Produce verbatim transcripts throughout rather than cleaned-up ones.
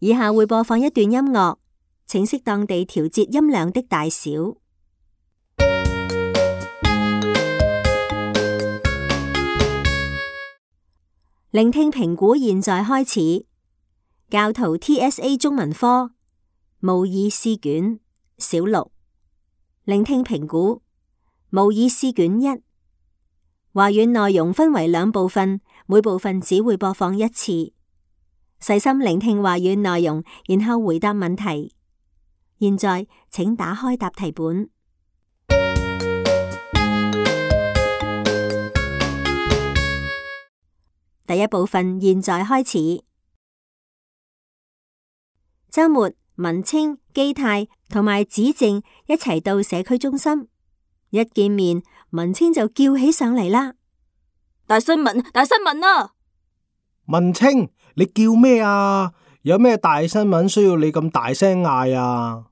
以下會播放一段音樂，請適當地調節音量的大小。聆聽評估現在開始。教徒 T S A 中文科模擬試卷小六。聆聽評估模擬試卷一。話語內容分為兩部分，每部分只會播放一次。細心聆聽話語內容，然後回答問題。現在請打開答題本。第一部分現在開始。周末，文清、基泰同埋子靜一齊到社區中心。一見面，文清就叫起上嚟啦。大新聞，大新聞啊！文清，你叫咩啊？有咩大新聞需要你咁大聲嗌啊？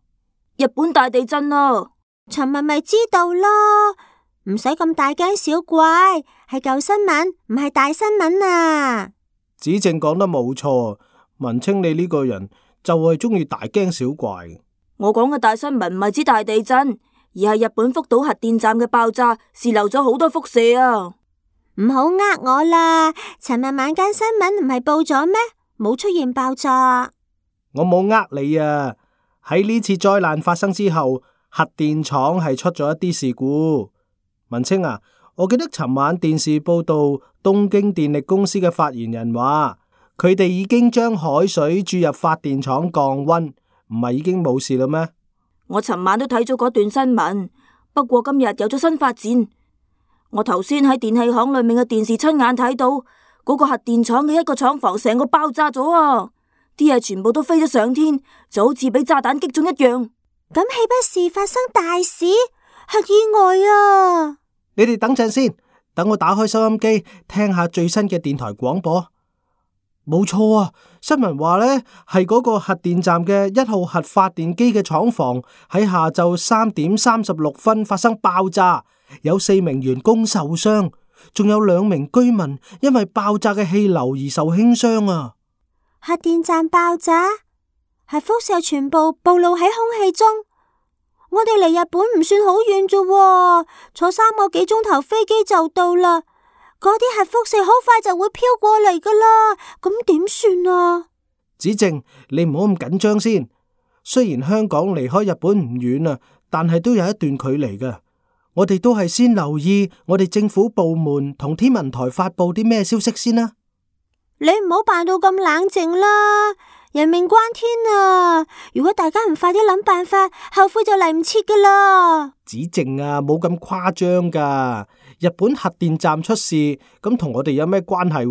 日本大地震啊！尋日咪知道咯，唔使咁大驚小怪，係舊新聞，唔係大新聞啊！子靜講得冇錯，文清你呢個人就係中意大驚小怪。我講嘅大新聞唔係指大地震，而係日本福島核電站嘅爆炸，洩漏咗好多輻射啊！唔好呃我啦，尋日晚間新聞唔係報咗咩？冇出現爆炸。我冇呃你啊！喺呢次災難發生之後，核電廠係出咗一啲事故。文清啊，我記得尋晚電視報道，東京電力公司嘅發言人話，佢哋已經將海水注入發電廠降溫，唔係已經冇事啦咩？我尋晚都睇咗嗰段新聞，不過今日有咗新發展。我頭先喺電器行裏面嘅電視親眼睇到，嗰個核電廠嘅一個廠房成個爆炸咗啊！啲嘢全部都飛咗上天，就好似俾炸彈擊中一樣。咁豈不是發生大事？核意外啊！你哋等陣先，等我打開收音機聽下最新嘅電台廣播。冇錯啊，新聞話呢係嗰個核電站嘅一號核發電機嘅廠房喺下晝三點三十六分發生爆炸，有四名員工受傷，仲有兩名居民因為爆炸嘅氣流而受輕傷啊！核電站爆炸，核輻射全部暴露喺空氣中。我哋離日本唔算好遠啫，坐三個幾鐘頭飛機就到啦。嗰啲核輻射好快就會飄過嚟噶啦，咁點算啊？子靜，你唔好咁緊張先。雖然香港離開日本唔遠啊，但係都有一段距離噶。我哋都係先留意我哋政府部門同天文台發佈啲咩消息先啦。你唔好扮到咁冷靜啦，人命關天啊！如果大家唔快啲諗辦法，後悔就嚟唔切噶啦。子靜啊，冇咁誇張噶。日本核電站出事，咁同我哋有咩關係？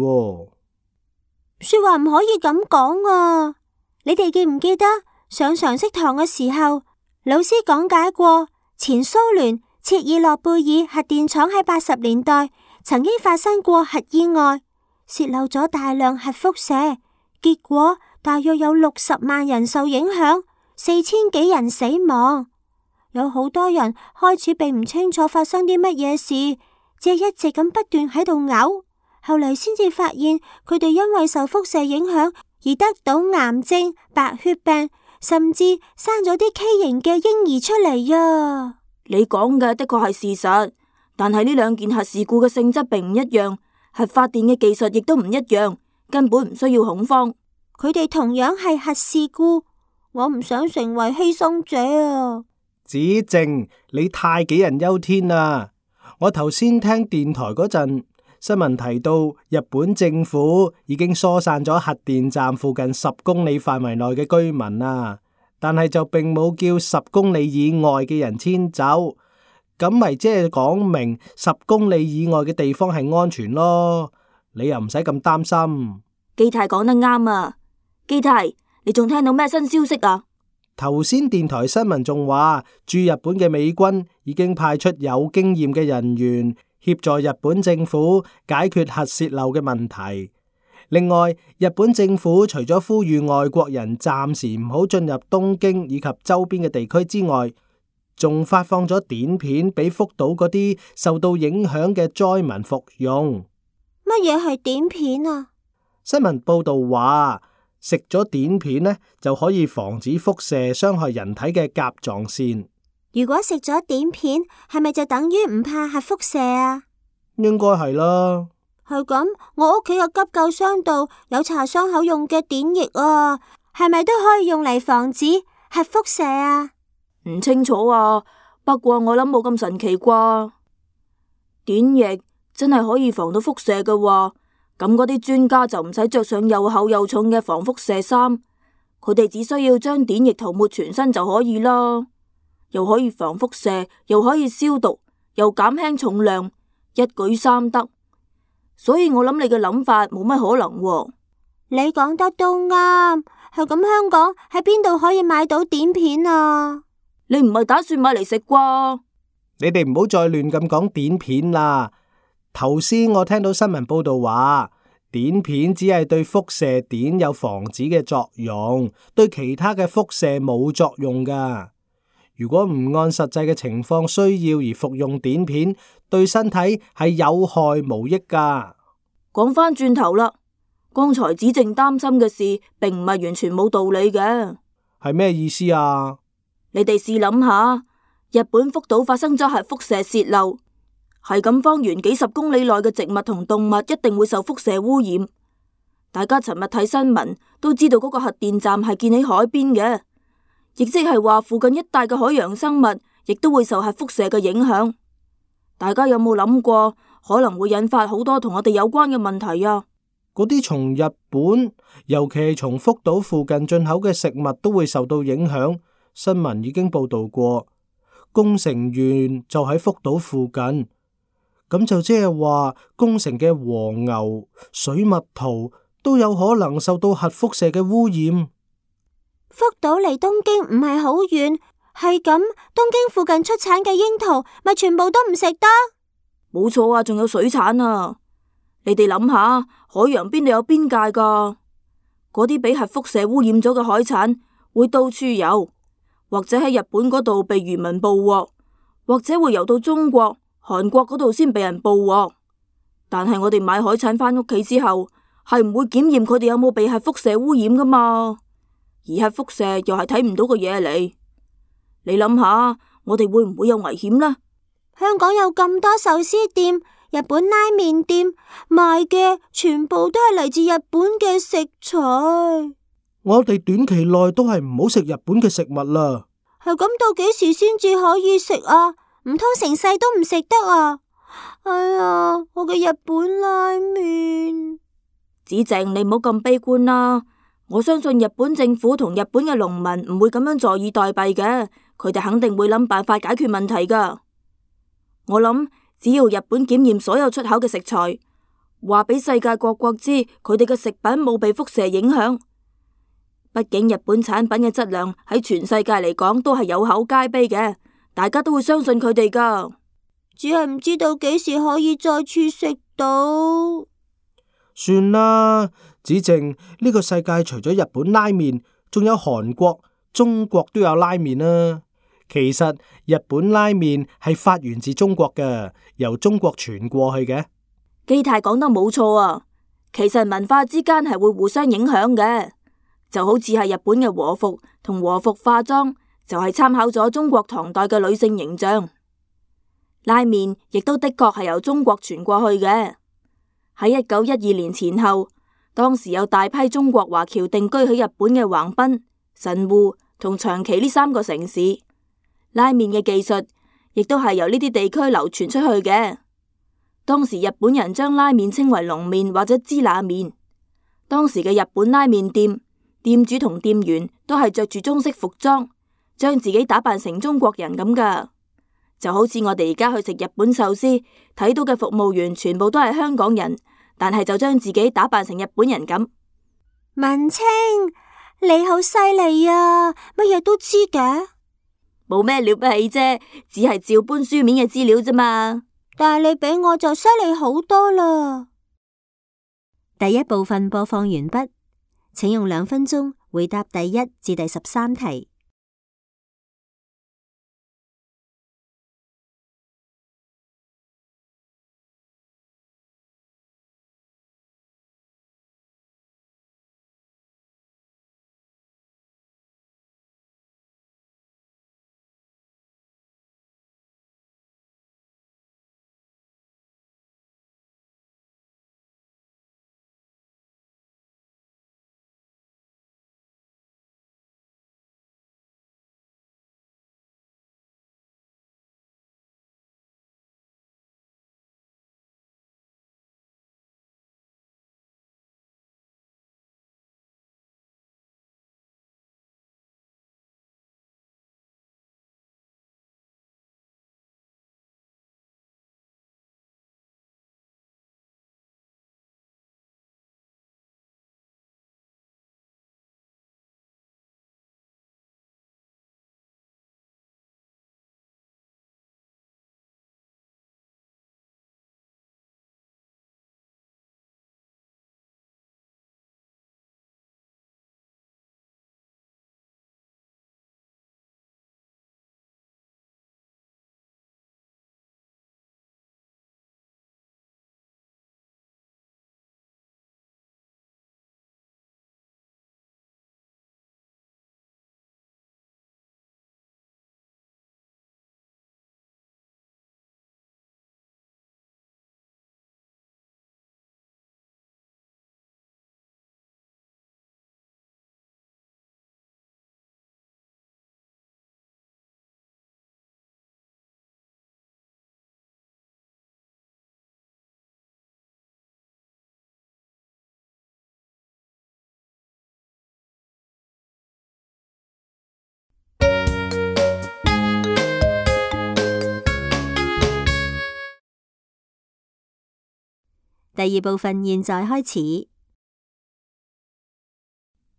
說話唔可以咁講啊！你哋記唔記得上常識堂嘅時候，老師講解過前蘇聯切爾諾貝爾核電廠喺八十年代曾經發生過核意外，洩漏咗大量核輻射，結果大約有六十萬人受影響，四千幾人死亡。有好多人開始並唔清楚發生啲乜嘢事，只係一直咁不斷喺度嘔，後嚟先至發現佢哋因為受輻射影響而得到癌症、白血病，甚至生咗啲畸形嘅嬰兒出嚟啊！你講嘅的確係事實，但係呢兩件核事故嘅性質並唔一樣，核發電嘅技術亦都唔一樣，根本唔需要恐慌。佢哋同樣係核事故，我唔想成為犧牲者啊！子靜，你太杞人憂天啦！我頭先聽電台嗰陣新聞提到，日本政府已經疏散咗核電站附近十公里範圍內嘅居民啦，但係就並冇叫十公里以外嘅人遷走，咁咪即係講明十公里以外嘅地方係安全咯，你又唔使咁擔心。基泰講得啱啊！基泰，你仲聽到咩新消息啊？頭先電台新聞仲話，駐日本嘅美軍已經派出有經驗嘅人員協助日本政府解決核洩漏嘅問題。另外，日本政府除咗呼籲外國人暫時唔好進入東京以及周邊嘅地區之外，仲發放咗碘片俾福島嗰啲受到影響嘅災民服用。乜嘢係碘片啊？新聞報道話，食咗碘片呢，就可以防止輻射傷害人體嘅甲狀腺。如果食咗碘片，係咪就等於唔怕核輻射啊？應該係啦。係咁，我屋企嘅急救箱度有搽傷口用嘅碘液啊，係咪都可以用嚟防止核輻射啊？唔清楚啊，不過我諗冇咁神奇啩。碘液真係可以防到輻射嘅話，咁嗰啲專家就唔使着上又厚又重嘅防輻射衫，佢哋只需要將碘液塗抹全身就可以啦，又可以防輻射，又可以消毒，又減輕重量，一舉三得。所以我諗你嘅諗法冇乜可能喎。你講得都啱，係咁，香港喺邊度可以買到碘片啊？你唔係打算買嚟食啩？你哋唔好再亂咁講碘片啦。頭先我聽到新聞報道話，碘片只係對輻射碘有防止嘅作用，對其他嘅輻射冇作用噶。如果唔按實際嘅情況需要而服用碘片，對身體係有害無益噶。講返轉頭啦，剛才子靖擔心嘅事，並唔係完全冇道理嘅。係咩意思啊？你哋試諗下，日本福島發生咗核輻射洩漏，係咁方圓幾十公里內嘅植物同動物一定會受輻射污染。大家尋日睇新聞都知道嗰個核電站係建喺海邊嘅，亦即係話附近一帶嘅海洋生物亦都會受核輻射嘅影響。大家有冇諗過可能會引發好多同我哋有關嘅問題啊？嗰啲從日本，尤其係從福島附近進口嘅食物都會受到影響。新聞已經報道過，宮城縣就喺福島附近，咁就即係話宮城嘅和牛、水蜜桃都有可能受到核輻射嘅污染。福島離東京唔係好遠，係咁，東京附近出產嘅櫻桃咪全部都唔食得？冇錯啊，仲有水產啊！你哋諗下，海洋邊度有邊界噶？嗰啲俾核輻射污染咗嘅海產會到處游，或者喺日本嗰度被漁民捕獲，或者會游到中國、韓國嗰度先被人捕獲。但係我哋買海產返屋企之後，係唔會檢驗佢哋有冇被核輻射污染噶嘛？而核輻射又係睇唔到個嘢嚟。你諗下，我哋會唔會有危險呢？香港有咁多壽司店、日本拉麵店，賣嘅全部都係嚟自日本嘅食材。我哋短期內都係唔好食日本嘅食物啦。係咁，到幾時先至可以食啊？唔通成世都唔食得啊？哎呀，我嘅日本拉麵。子靖，你唔好咁悲觀啦。我相信日本政府同日本嘅農民唔會咁樣坐以待斃嘅，佢哋肯定會諗辦法解決問題噶。我諗只要日本檢驗所有出口嘅食材，話俾世界各國知佢哋嘅食品冇被輻射影響。畢竟日本產品嘅質量喺全世界嚟講都係有口皆碑嘅，大家都會相信佢哋噶。只係唔知道幾時可以再次食到。算啦，子靖，呢個世界除咗日本拉麵，仲有韓國、中國都有拉麵啦。其實日本拉麵係發源自中國嘅，由中國傳過去嘅。基泰講得冇錯啊，其實文化之間係會互相影響嘅，就好似係日本嘅和服同和服化妝，就係參考咗中國唐代嘅女性形象。拉麵亦都的確係由中國傳過去嘅。喺一九一二年前後，當時有大批中國華僑定居喺日本嘅橫濱、神戶同長崎呢三個城市。拉麵嘅技術亦都係由呢啲地區流傳出去嘅。當時日本人將拉麵稱為龍麵或者支那麵。當時嘅日本拉麵店，店主同店員都係着住中式服裝，將自己打扮成中國人咁噶。就好似我哋而家去食日本壽司，睇到嘅服務員全部都係香港人，但係就將自己打扮成日本人咁。文清，你好犀利啊，乜嘢都知嘅。冇咩了不起啫，只係照搬書面嘅資料啫嘛。但係你比我就犀利好多啦。第一部分播放完畢，請用兩分鐘回答第一至第十三題。第二部分現在開始。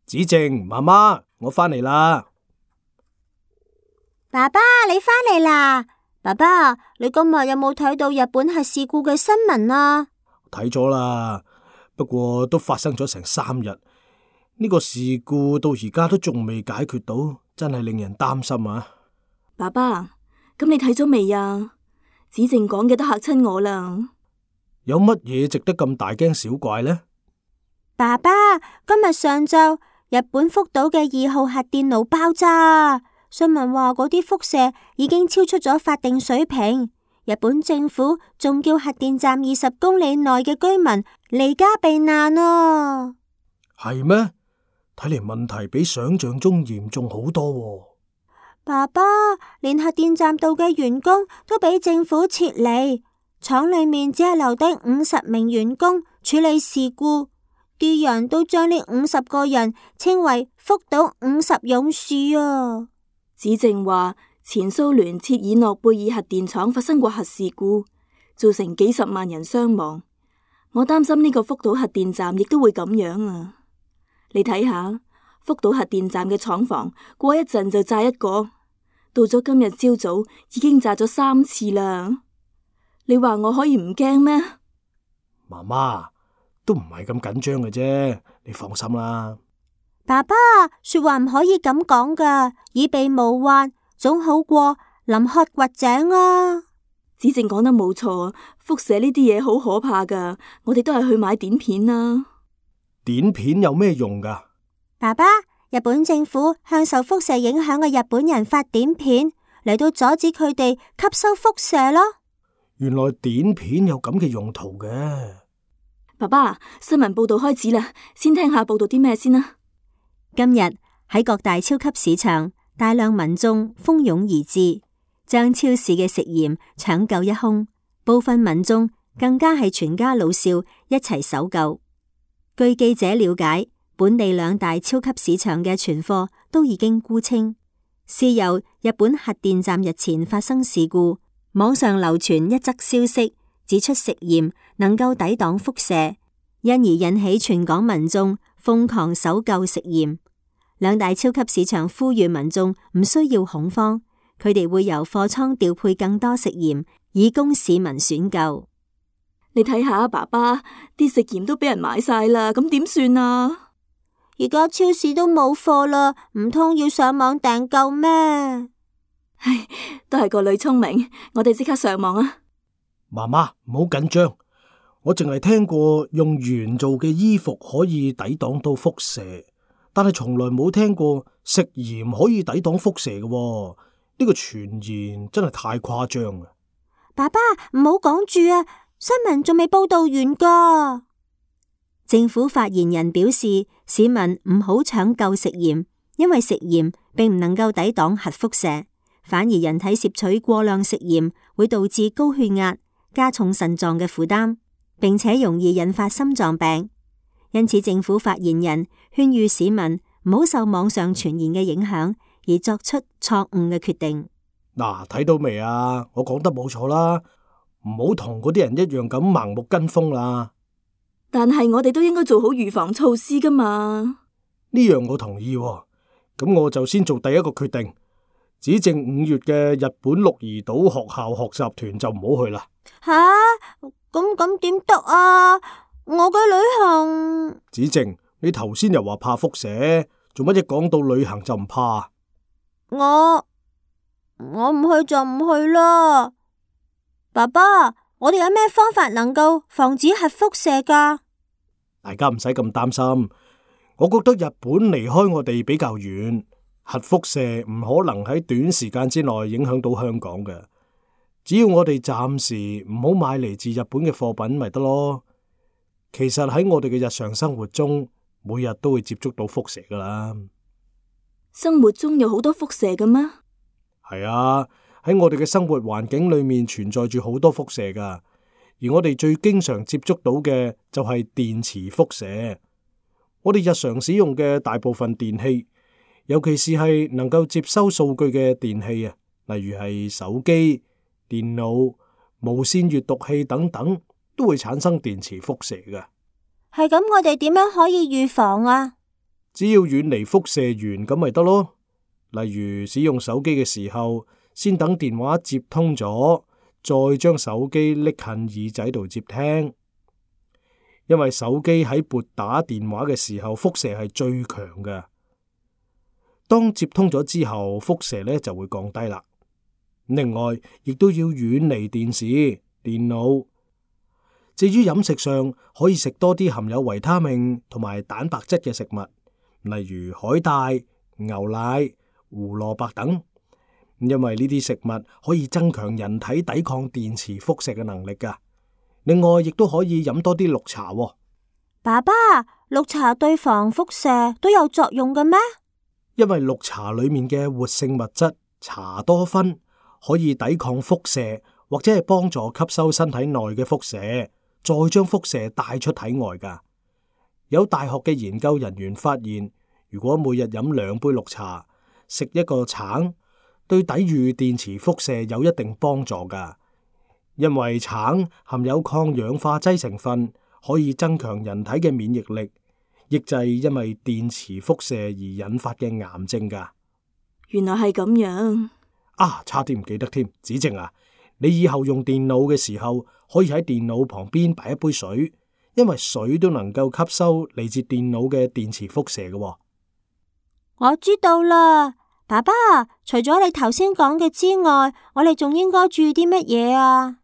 子靜，媽媽，我返嚟啦。爸爸，你返嚟啦？爸爸，你今日有冇睇到日本核事故嘅新聞啊？睇咗啦，不過都發生咗成三日，呢個事故到而家都仲未解決到，真係令人擔心啊！爸爸，咁你睇咗未啊？子靜講嘅都嚇親我啦。有乜嘢值得咁大驚小怪呢？爸爸，今日上晝日本福島嘅二號核電爐爆炸，新聞話嗰啲輻射已經超出咗法定水平，日本政府仲叫核電站二十公里內嘅居民離家避難啊！係咩？睇嚟問題比想象中嚴重好多喎。爸爸，連核電站度嘅員工都俾政府撤離，廠裏面只係留低五十名員工處理事故，啲人都將呢五十個人稱為福島五十勇士啊！子靜話，前蘇聯切爾諾貝爾核電廠發生過核事故，造成幾十萬人傷亡。我擔心呢個福島核電站亦都會咁樣啊！你睇下，福島核電站嘅廠房過一陣就炸一個，到咗今日朝早已經炸咗三次啦。你話我可以唔驚咩？媽媽，都唔係咁緊張嘅啫，你放心啦。爸爸，說話唔可以咁講噶，以備無患，總好過臨渴掘井啊！子靜講得冇錯，輻射呢啲嘢好可怕噶，我哋都係去買碘片啦。碘片有咩用噶？爸爸，日本政府向受輻射影響嘅日本人發碘片，嚟到阻止佢哋吸收輻射咯。原來碘片有咁嘅用途嘅。爸爸，新聞報道開始啦，先聽下報道啲咩先啦。今日喺各大超級市場，大量民眾蜂擁而至，將超市嘅食鹽搶購一空，部分民眾更加係全家老少一齊搜救。據記者了解，本地兩大超級市場嘅存貨都已經沽清。是由日本核電站日前發生事故，網上流傳一則消息，指出食鹽能夠抵擋輻射，因而引起全港民眾瘋狂搜救食鹽。兩大超級市場呼籲民眾唔需要恐慌，佢哋會由貨倉調配更多食鹽，以供市民選購。你睇下，爸爸，啲食鹽都俾人買晒啦，咁點算啊？而家超市都冇貨啦，唔通要上網訂購咩？唉，都係個女聰明，我哋即刻上網啊！媽媽，唔好緊張，我淨係聽過用鉛做嘅衣服可以抵擋到輻射，但係從來冇聽過食鹽可以抵擋輻射嘅喎。呢個傳言真係太誇張啦！爸爸，唔好講住啊，新聞仲未報道完噶。政府發言人表示，市民唔好搶購食鹽，因為食鹽並唔能夠抵擋核輻射，反而人體攝取過量食鹽會導致高血壓，加重腎臟嘅負擔，並且容易引發心臟病。因此，政府發言人勸喻市民唔好受網上傳言嘅影響，而作出錯誤嘅決定。嗱，睇到未啊？我講得冇錯啦，唔好同嗰啲人一樣咁盲目跟風啦。但係我哋都應該做好預防措施噶嘛。呢樣我同意喎，咁我就先做第一個決定。指正五月嘅日本鹿兒島學校學習團就唔好去啦。吓，咁咁點得啊？我嘅旅行。指正，你頭先又話怕輻射，做乜一講到旅行就唔怕？我我唔去就唔去啦。爸爸，我哋有咩方法能夠防止核輻射噶？大家唔使咁擔心，我覺得日本離開我哋比較遠，核輻射唔可能喺短時間之內影響到香港嘅。只要我哋暫時唔好買嚟自日本嘅貨品咪得咯。其實喺我哋嘅日常生活中，每日都會接觸到輻射噶啦。生活中有好多輻射嘅咩？係啊，喺我哋嘅生活環境裏面存在住好多輻射噶。而我哋最經常接觸到嘅就係電磁輻射。我哋日常使用嘅大部分電器，尤其是係能夠接收數據嘅電器啊，例如係手機、電腦、無線閱讀器等等，都會產生電磁輻射嘅。係咁，我哋點樣可以預防啊？只要遠離輻射源咁咪得咯。例如使用手機嘅時候，先等電話接通咗，再將手機拎近耳仔度接聽。因為手機喺撥打電話嘅時候，輻射係最強嘅。當接通咗之後，輻射呢就會降低啦。另外，亦都要遠離電視、電腦。至於飲食上，可以食多啲含有維他命同埋蛋白質嘅食物，例如海帶、牛奶、胡蘿蔔等。因為呢啲食物可以增強人體抵抗電磁輻射嘅能力噶。另外，亦都可以飲多啲綠茶喎。爸爸，綠茶對防輻射都有作用嘅咩？因為綠茶裏面嘅活性物質茶多酚可以抵抗輻射，或者係幫助吸收身體內嘅輻射，再將輻射帶出體外噶。有大學嘅研究人員發現，如果每日飲兩杯綠茶，食一個橙，對抵禦電磁輻射有一定幫助噶。因為橙含有抗氧化劑成分，可以增強人體嘅免疫力，抑制因為電磁輻射而引發嘅癌症噶。原來係咁樣啊！差啲唔記得添，子靜啊，你以後用電腦嘅時候，可以喺電腦旁邊擺一杯水，因為水都能夠吸收嚟自電腦嘅電磁輻射嘅。我知道啦，爸爸，除咗你頭先講嘅之外，我哋仲應該注意啲乜嘢啊？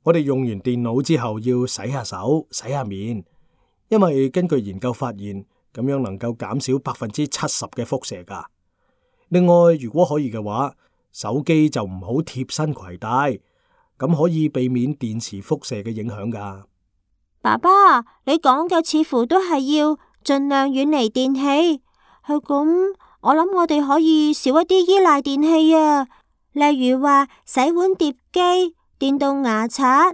我哋用完電腦之後要洗下手、洗下面，因為根據研究發現，咁樣能夠減少百分之七十嘅輻射噶。另外，如果可以嘅話，手機就唔好貼身攜帶，咁可以避免電磁輻射嘅影響噶。爸爸，你講嘅似乎都係要盡量遠離電器，係咁，我諗我哋可以少一啲依賴電器啊，例如話洗碗碟機、電動牙刷、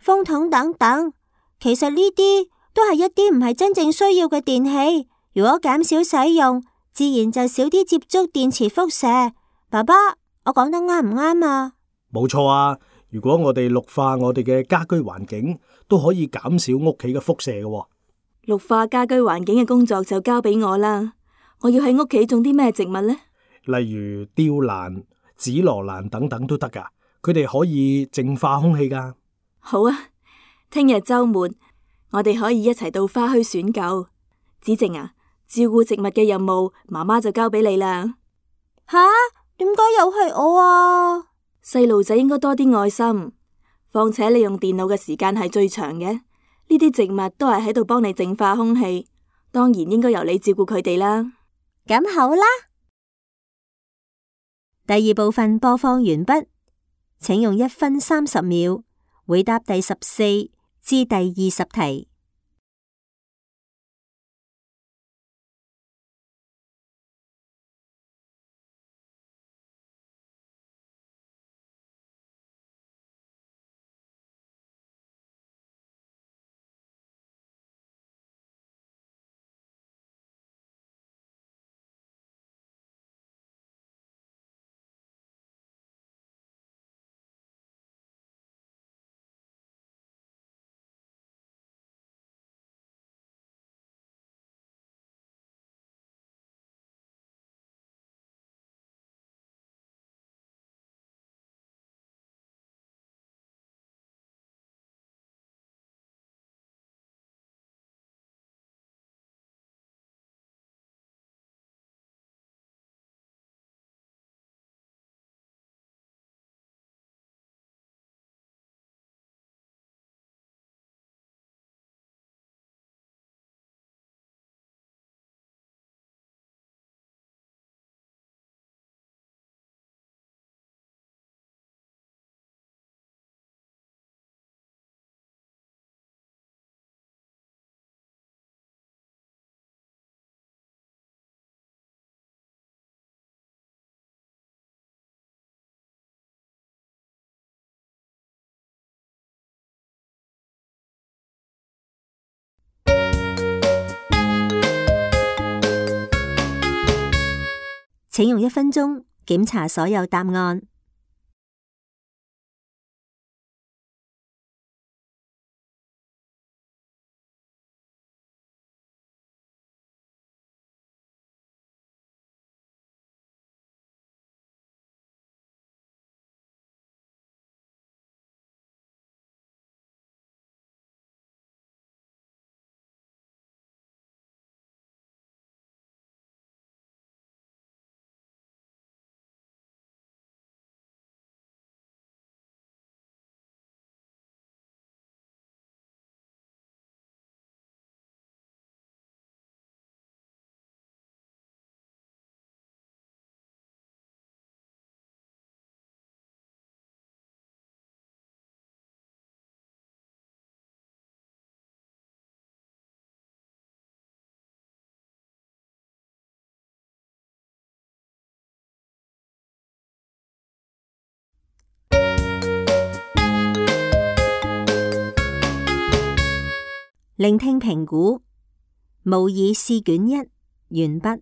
風筒等等。其實呢啲都係一啲唔係真正需要嘅電器，如果減少使用，自然就少啲接觸電磁輻射。爸爸，我講得啱唔啱啊？冇錯啊！如果我哋綠化我哋嘅家居環境，都可以減少屋企嘅輻射嘅。綠化家居環境嘅工作就交俾我啦。我要喺屋企種啲咩植物呢？例如吊蘭、紫羅蘭等等都得噶，佢哋可以淨化空氣噶。好啊，聽日周末我哋可以一齊到花墟選購。子靜啊，照顧植物嘅任務，媽媽就交俾你啦。吓？點解又係我啊？細路仔應該多啲愛心，況且你用電腦嘅時間係最長嘅，呢啲植物都係喺度幫你淨化空氣，當然應該由你照顧佢哋啦。咁好啦。第二部分播放完畢，請用一分三十秒回答第十四至第二十題。請用一分鐘檢查所有答案。聆聽評估模擬試卷一完畢。